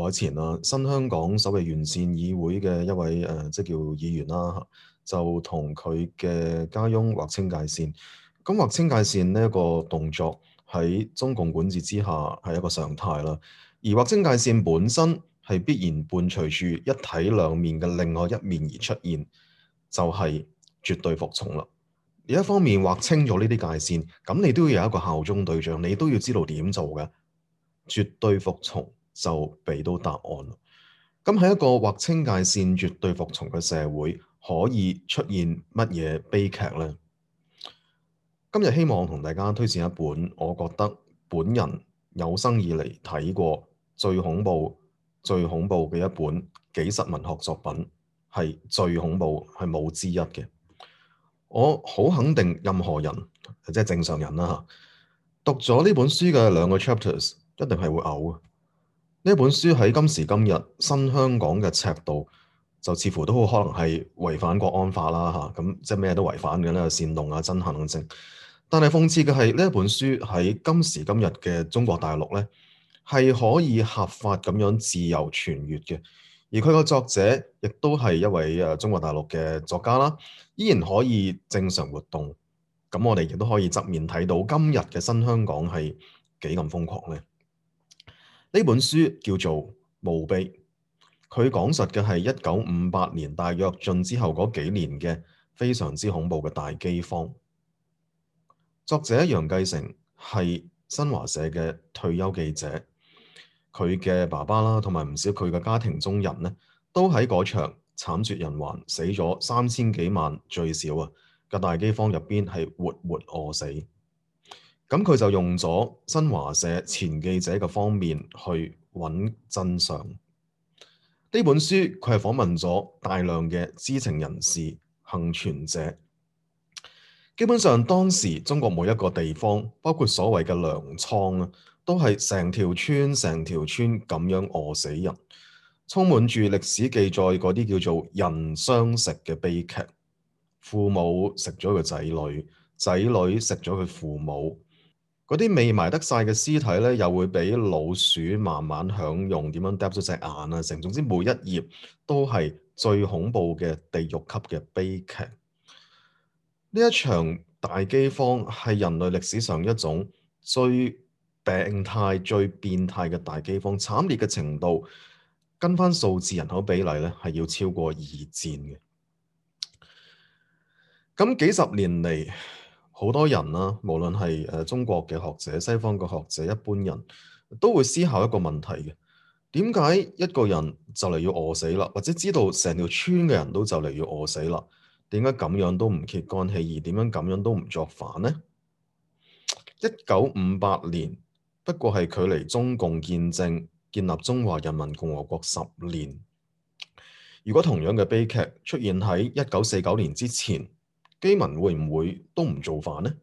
耐前啦，新香港所謂完善議會嘅一位即叫議員啦，就同佢嘅家翁劃清界線。咁劃清界線呢一個動作喺中共管治之下係一個常態啦。而劃清界線本身係必然伴隨住一體兩面嘅另外一面而出現，就係絕對服從啦。而一方面劃清咗呢啲界線，咁你都要有一個效忠對象，你都要知道點做嘅。絕對服從就俾到答案。咁喺一個劃清界線、絕對服從嘅社會，可以出現乜嘢悲劇呢？今日希望同大家推薦一本我覺得本人有生以嚟睇過最恐怖嘅一本紀實文學作品，係最恐怖，係冇之一嘅。我好肯定任何人，即係正常人啦，讀咗呢本書嘅2個 chapters，一定係會嘔。呢本書喺今時今日新香港嘅尺度，就似乎都好可能係違反國安法啦嚇，咁即係咩都違反嘅咧，煽動啊、憎恨等。但係諷刺嘅係呢一本書喺今時今日嘅中國大陸咧，係可以合法咁樣自由傳閱嘅，而佢個作者亦都係一位中國大陸嘅作家啦，依然可以正常活動。咁我哋亦都可以側面睇到今日嘅新香港係幾咁瘋狂咧。呢本書叫做《墓碑》，佢講述嘅係1958年大躍進之後嗰幾年嘅非常之恐怖嘅大饑荒。作者楊繼成係新華社嘅退休記者，佢嘅爸爸啦，同埋唔少佢嘅家庭中人呢，都喺嗰場慘絕人寰、死咗3000幾萬最少嘅大饑荒入邊係活活餓死。咁佢就用咗新華社前記者嘅方面去揾真相。呢本書佢係訪問咗大量嘅知情人士、幸存者。基本上當時中國每一個地方，包括所謂嘅糧倉都係成條村咁樣餓死人，充滿住歷史記載嗰啲叫做人相食嘅悲劇。父母食咗個仔女，仔女食咗佢父母。嗰啲未埋得晒嘅屍體咧，又會俾老鼠慢慢享用，點樣嗒咗隻眼啊！成總之每一頁都係最恐怖嘅地獄級嘅悲劇。呢一場大饑荒係人類歷史上一種最病態、最變態嘅大饑荒，慘烈嘅程度跟翻數字人口比例咧，係要超過二戰嘅。咁幾十年嚟，好多人啦，無論係中國嘅學者、西方嘅學者、一般人都會思考一個問題嘅：點解一個人就嚟要餓死啦，或者知道成條村嘅人都就嚟要餓死啦，點解咁樣都唔揭竿起義？點樣咁樣都唔作反呢？1958年不過係距離中共建政、建立中華人民共和國10年。如果同樣嘅悲劇出現喺1949年之前，基民會唔會都唔造反呢？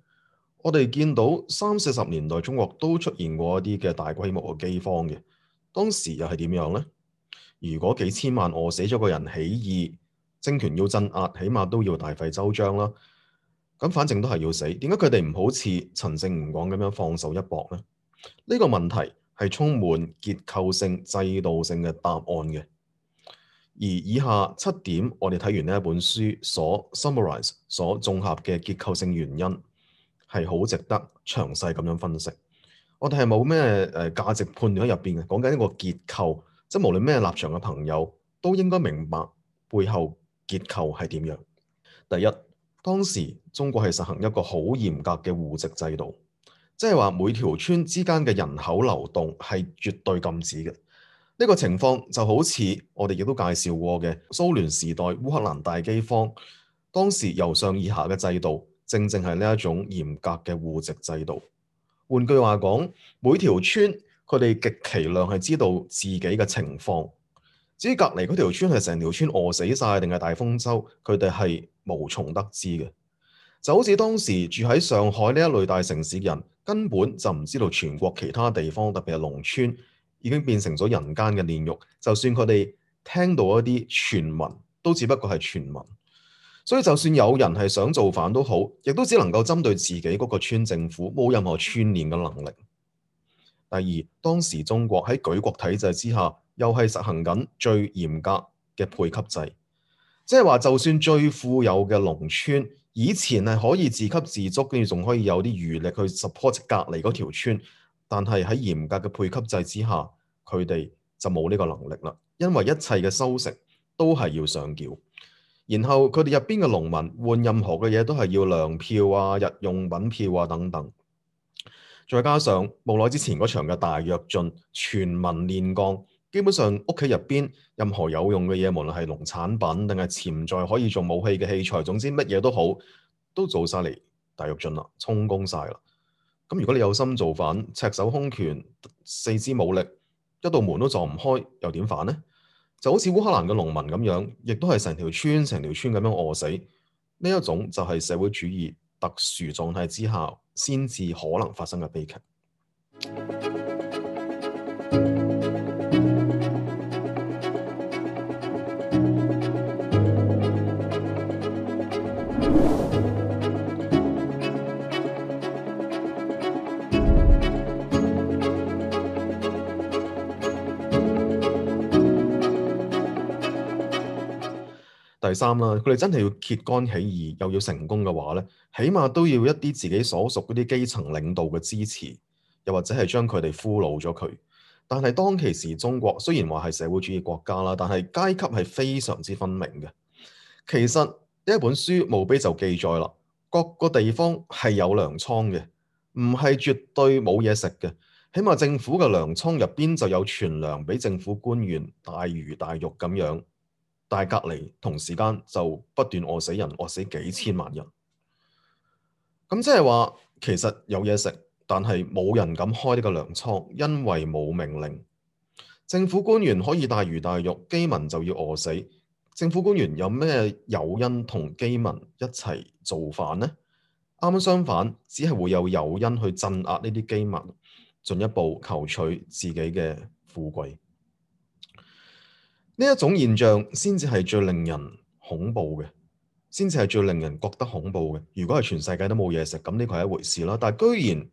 我哋見到30、40年代中國都出現過一啲嘅大規模嘅饑荒嘅，當時又係點樣呢？如果幾千萬餓死咗個人起義，政權要鎮壓，起碼都要大費周章啦。咁反正都係要死，點解佢哋唔好似陳勝吳廣咁樣放手一搏呢？呢個問題係充滿結構性、制度性嘅答案嘅。而以下7點，我哋睇完呢一本書所 summarize、所綜合嘅結構性原因，係好值得詳細咁樣分析。我哋係冇咩價值判斷喺入邊嘅，講緊一個結構，即係無論咩立場嘅朋友都應該明白背後結構係點樣。第一，當時中國係實行一個好嚴格嘅戶籍制度，即係話每條村之間嘅人口流動係絕對禁止嘅。呢個情況就好似我哋亦都介紹過嘅蘇聯時代烏克蘭大饑荒，當時由上而下嘅制度，正正係呢一種嚴格嘅戶籍制度。換句話講，每條村佢哋極其量係知道自己嘅情況，至於隔離嗰條村係成條村餓死晒定係大豐收，佢哋係無從得知嘅。就好似當時住喺上海呢一類大城市嘅人，根本就唔知道全國其他地方，特別係農村，已經變成咗人間嘅煉獄。就算佢哋聽到一啲傳聞，都只不過係傳聞。所以就算有人係想造反都好，亦都只能夠針對自己嗰個村政府，冇任何串聯嘅能力。第二，當時中國喺舉國體制之下，又係實行緊最嚴格嘅配給制。即係話，就算最富有嘅農村，以前係可以自給自足，跟住仲可以有啲餘力去 support 隔離嗰條村，但係喺嚴格嘅配給制之下，佢哋就冇呢個能力啦，因為一切嘅收成都係要上繳，然後佢哋入邊嘅農民換任何嘅嘢都係要糧票啊、日用品票啊等等，再加上冇耐之前嗰場嘅大躍進，全民煉鋼。基本上屋企入邊任何有用嘅嘢，無論係農產品定係潛在可以做武器嘅器材，總之乜嘢都好，都做晒嚟大躍進啦，充公晒啦。咁如果你有心造反，赤手空拳、四肢冇力，一道門都撞唔開，又點反呢？就好似烏克蘭嘅農民咁樣，亦都係成條村咁樣餓死。呢一種就係社會主義特殊狀態之下先至可能發生嘅悲劇。第三啦，佢哋真係要揭竿起義，又要成功嘅話咧，起碼都要一啲自己所屬嗰啲基層領導嘅支持，又或者係將佢哋俘虜咗佢。但係當其時中國雖然話係社會主義國家啦，但係階級係非常之分明嘅。其實呢一本書墓碑就記載啦，各個地方係有糧倉嘅，唔係絕對冇嘢食嘅。起碼政府嘅糧倉入邊就有存糧俾政府官員大魚大肉咁樣。但係隔離同時間就不斷餓死人，餓死幾千萬人。咁即係話其實有嘢食，但係冇人敢開呢個糧倉，因為冇命令。政府官員可以大魚大肉，饑民就要餓死。政府官員有咩誘因同饑民一齊造反呢？啱啱相反，只係會有誘因去鎮壓呢啲饑民，進一步求取自己嘅富貴。呢一種現象先至係最令人恐怖嘅，先至係最令人覺得恐怖嘅。如果係全世界都冇嘢食，咁呢個係一回事啦。但係居然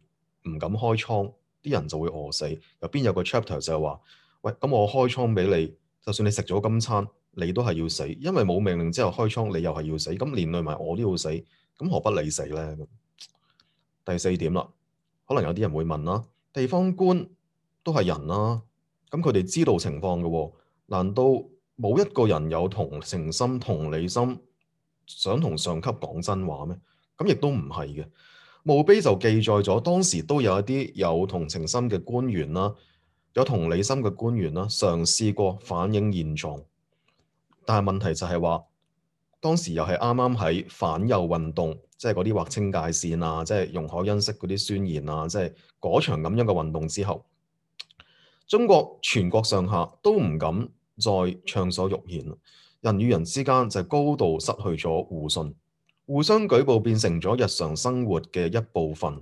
唔敢開倉，啲人就會餓死。入邊有個 chapter 就係話：喂，咁我開倉俾你，就算你食咗今餐，你都係要死，因為冇命令之後開倉，你又係要死，咁連累埋我都要死，咁何不你死呢？第四點啦，可能有啲人會問啦，地方官都係人啦，咁佢哋知道情況嘅喎。難道冇一個人有同情心、同理心，想同上級講真話咩？咁亦都唔係嘅。墓碑就記載咗當時都有一啲有同情心嘅官員啦，有同理心嘅官員啦，嘗試過反映現狀。但係問題就係話，當時又係啱啱喺反右運動，即係嗰啲劃清界線啊，即係容海恩式嗰啲宣言啊，即係嗰場咁樣嘅運動之後。中國全國上下都唔敢再暢所欲言，人與人之間就高度失去咗互信，互相舉報變成咗日常生活嘅一部分。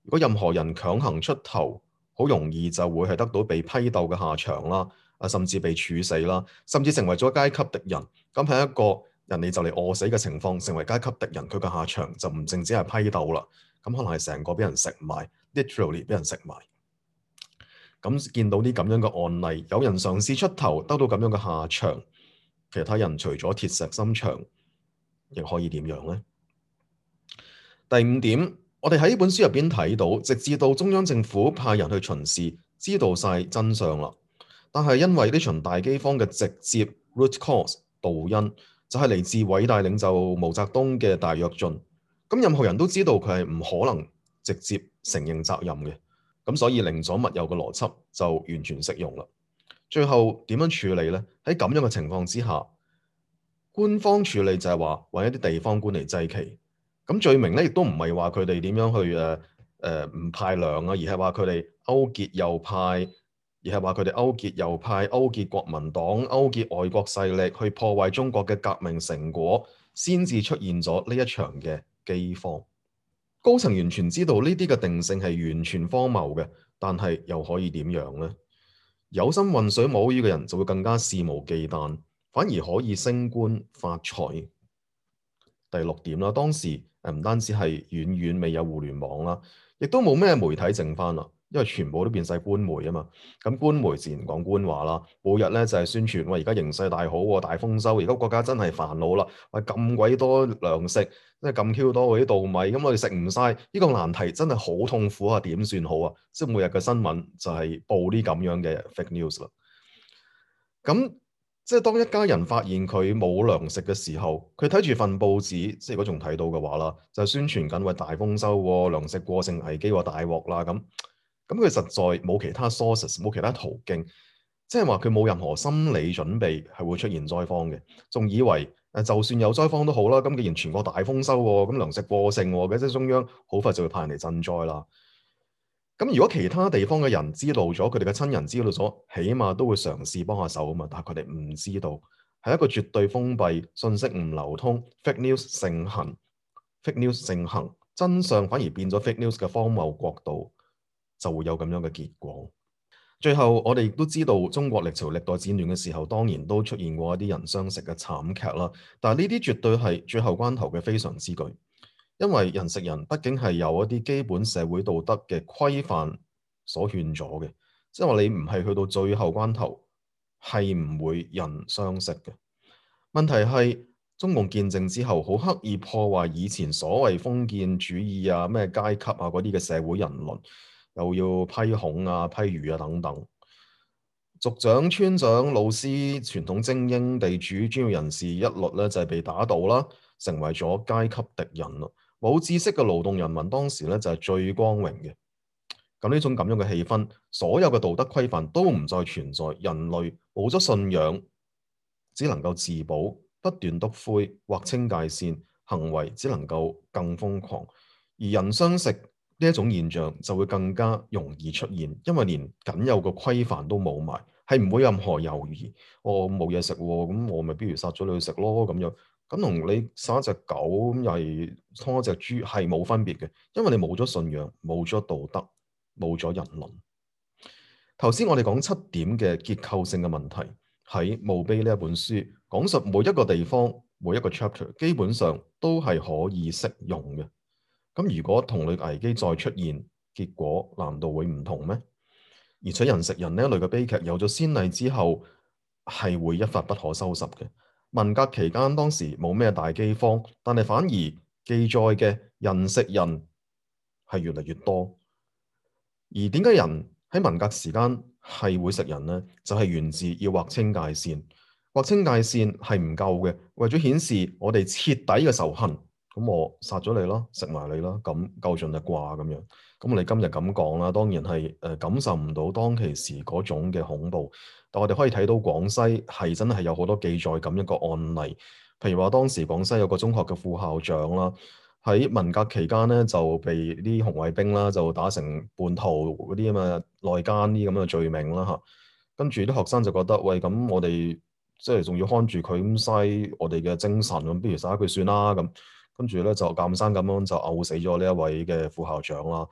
如果任何人強行出頭，好容易就會係得到被批鬥嘅下場啦，甚至被處死啦，甚至成為咗階級敵人。咁喺一個人哋就嚟餓死嘅情況，成為階級敵人，佢嘅下場就唔淨止係批鬥啦，咁可能係成個俾人食埋 literally 俾人食埋。咁見到啲咁樣嘅案例，有人嘗試出頭，得到咁樣嘅下場，其他人除咗鐵石心腸，亦可以點樣呢？第五點，我哋喺呢本書入邊睇到，直至到中央政府派人去巡視，知道晒真相啦。但係因為呢場大饑荒嘅直接 root cause 導因，就係嚟自偉大領袖毛澤東嘅大躍進。咁任何人都知道佢係唔可能直接承認責任嘅。咁所以寧左勿右嘅邏輯就完全適用啦。最後點樣處理呢？喺咁樣嘅情況之下，官方處理就係話揾一啲地方官嚟祭旗。咁罪名咧亦都唔係話佢哋點樣去唔派糧啊，而係話佢哋勾結右派，而係話佢哋勾結右派、勾結國民黨、勾結外國勢力去破壞中國嘅革命成果，先至出現咗呢一場嘅饑荒。高層完全知道呢啲嘅定性係完全荒謬嘅，但係又可以點樣呢？有心渾水摸魚嘅人就會更加肆無忌憚，反而可以升官發財。第六點啦，當時唔單止係遠遠未有互聯網啦，亦都冇咩媒體剩翻啦。因為全部都變晒官媒啊嘛。咁官媒自然講官話啦，每日咧就係宣傳，喂而家形勢大好喎，大豐收，而家國家真係煩惱啦，喂咁鬼多糧食，即係咁 Q 多嗰啲稻米，咁我哋食唔晒，呢個難題真係好痛苦啊，點算好啊？即係每日嘅新聞就係報啲咁樣嘅 fake news 啦。咁即係當一家人發現佢冇糧食嘅時候，佢睇住份報紙，即係如果仲睇到嘅話啦，就宣傳緊喂大豐收喎，糧食過剩危機喎，大鑊啦咁。咁佢實在冇其他 sources，冇其他途徑，即係話佢冇任何心理準備係會出現災荒嘅，仲以為就算有災荒都好啦。咁既然全國大豐收喎，咁糧食過剩喎，即係中央好快就會派人嚟賑災啦。咁如果其他地方嘅人知道咗，佢哋嘅親人知道咗，起碼都會嘗試幫下手啊嘛。但係佢哋唔知道，係一個絕對封閉、信息唔流通、fake news 盛行、fake news 盛行，真相反而變咗 fake news 嘅荒謬國度，就會有咁樣嘅結果。最後，我哋亦都知道中國歷朝歷代戰亂嘅時候，當然都出現過一啲人相食嘅慘劇啦。但係呢啲絕對係最後關頭嘅非常之舉。因為人食人畢竟係有一啲基本社會道德嘅規範所勸阻嘅，即係話你唔係去到最後關頭係唔會人相食嘅。問題係中共建政之後，好刻意破壞以前所謂封建主義啊、咩階級啊嗰啲嘅社會人倫，又要批孔啊、批儒啊等等。族長、村長、老師、傳統精英、地主、專業人士一律咧就係被打倒啦，成為咗階級敵人啦。冇知識嘅勞動人民當時咧就係最光榮嘅。咁呢種咁樣嘅氣氛，所有嘅道德規範都唔再存在，人類冇咗信仰，只能夠自保，不斷篤灰，劃清界線，行為只能夠更瘋狂。而人相食呢一種現象就會更加容易出現，因為連僅有嘅規範都冇埋，係唔會任何猶豫。我冇嘢食喎，咁我咪不如殺咗你去食咯咁樣。咁同你殺一隻狗咁又係劏一隻豬係冇分別嘅，因為你冇咗信仰，冇咗道德，冇咗人倫。頭先我哋講七點嘅結構性嘅問題，喺墓碑呢一本書講述每一個地方每一個 chapter 基本上都係可以適用嘅。咁如果同類危機再出現，結果難道會唔同咩？而且人食人呢一類嘅悲劇有咗先例之後，係會一發不可收拾嘅。文革期間當時冇咩大饑荒，但係反而記載嘅人食人係越嚟越多。而點解人喺文革時間係會食人呢？就係源自要劃清界線。劃清界線係唔夠嘅，為咗顯示我哋徹底嘅仇恨，咁我殺咗你咯，食埋你咯，咁夠盡啦啩咁樣。咁我哋今日咁講啦，當然係感受唔到當其時嗰種嘅恐怖，但我哋可以睇到廣西係真係有好多記載咁一個案例，譬如話當時廣西有個中學嘅副校長啦。喺文革期間咧，就被啲紅衛兵啦，就打成叛徒嗰啲咁嘅內奸啲咁嘅罪名啦嚇。跟住啲學生就覺得，喂，咁我哋即係仲要看住佢咁嘥我哋嘅精神，咁不如殺咗佢算啦咁。跟住咧就鑑生咁樣就毆死咗呢一位嘅副校長啦。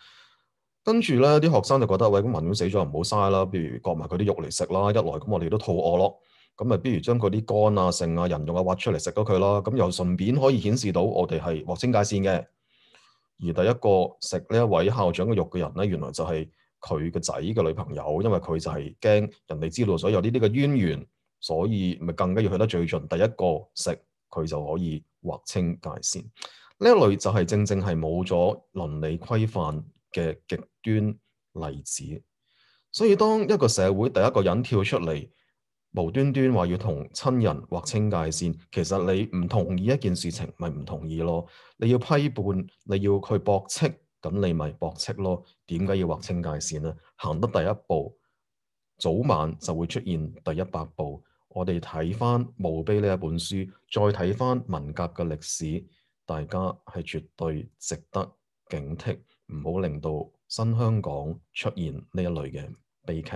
跟住咧啲學生就覺得，喂，咁人都死咗唔好嘥啦，不如割埋佢啲肉嚟食啦。一來咁我哋都肚餓咯。咁咪不如將佢啲肝啊、腎啊、人肉啊挖出嚟食咗佢啦，咁又順便可以顯示到我哋係劃清界線嘅。而第一個食呢一位校長嘅肉嘅人咧，原來就係佢個仔嘅女朋友，因為佢就係驚人哋知道咗有呢啲嘅淵源，所以咪更加要去得最盡。第一個食佢就可以劃清界線。呢一類就係正正係冇咗倫理規範嘅極端例子。所以當一個社會第一個人跳出嚟，無端端話要同親人劃清界線，其實你唔同意一件事情，咪唔同意咯。你要批判，你要去駁斥，咁你咪駁斥咯。點解要劃清界線呢？行得第一步，早晚就會出現第100步。我哋睇翻墓碑呢一本書，再睇翻文革嘅歷史，大家係絕對值得警惕，唔好令到新香港出現呢一類嘅悲劇。